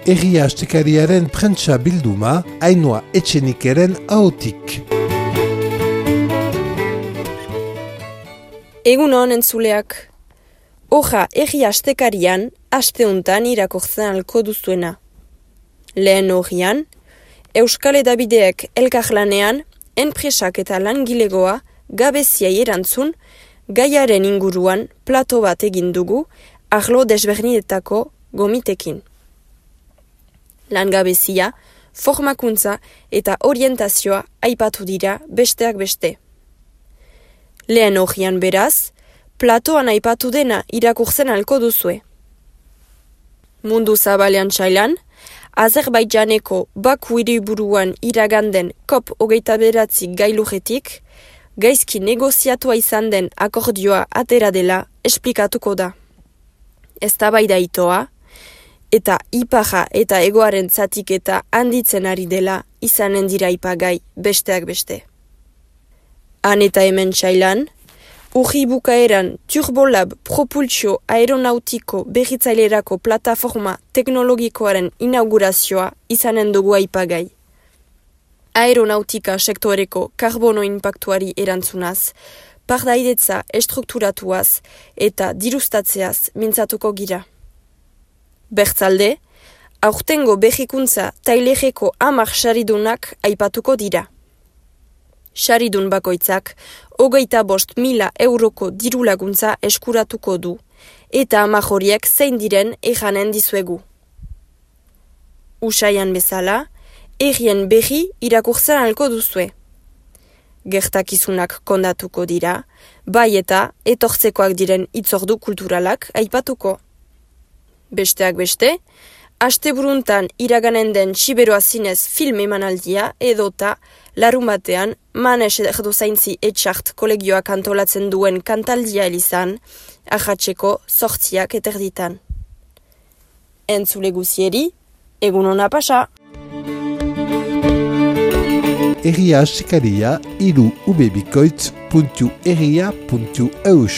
Egia astekariaren prentsa bilduma, Ainhoa Etxenikeren ahotik. Egun hon entzuleak. Hoja egia astekarian, asteuntan irakurtzen alko duzuena. Lehen hogian, Euskal Hedabideek elkarlanean, enpresak eta langilegoa gabeziai erantzun, gaiaren inguruan plato bat egin dugu, arlo desberdinetako gomitekin. Langabezia, formakuntza eta orientazioa aipatu dira besteak beste. Lehen hogian beraz, platoan aipatu dena irakurtzen alko duzue. Mundu zabalean txailan, Azerbaidjaneko Baku hiriburuan iraganden COP29 gailujetik, gaizki negoziatua izan den akordioa atera dela esplikatuko da. Eztabaida itoa, eta ipaja eta egoaren zatiketa handitzen ari dela izanen dira ipagai besteak beste. Han eta hemen txailan, urri bukaeran Turbolab propulsio aeronautiko berritzailerako plataforma teknologikoaren inaugurazioa izanen dugu aipagai. Aeronautika sektoreko karbono inpaktuari erantzunaz, pardaidetza estrukturatuaz eta dirustatzeaz mintzatuko gira. Bertzalde, aurtengo berrikuntza tailereko 10 saridunak aipatuko dira. Saridun bakoitzak 25.000 euroko dirulaguntza eskuratuko du, eta 10 horiek zein diren ejanen dizuegu. Usaian bezala, errien berri irakurtzen alko duzue. Gertakizunak kondatuko dira, bai eta etortzekoak diren hitzordu kulturalak aipatuko. Besteak beste, asteburuntan iraganen den Siberoa zinez film emanaldia edota larumatean Manes erdozaintzi etxart kolegioak antolatzen duen kantaldia elizan, ahatzeko 8 eterditan. Entzule guzieri, egun hona pasa! Egia astekaria, ubebikoitz.egia.eus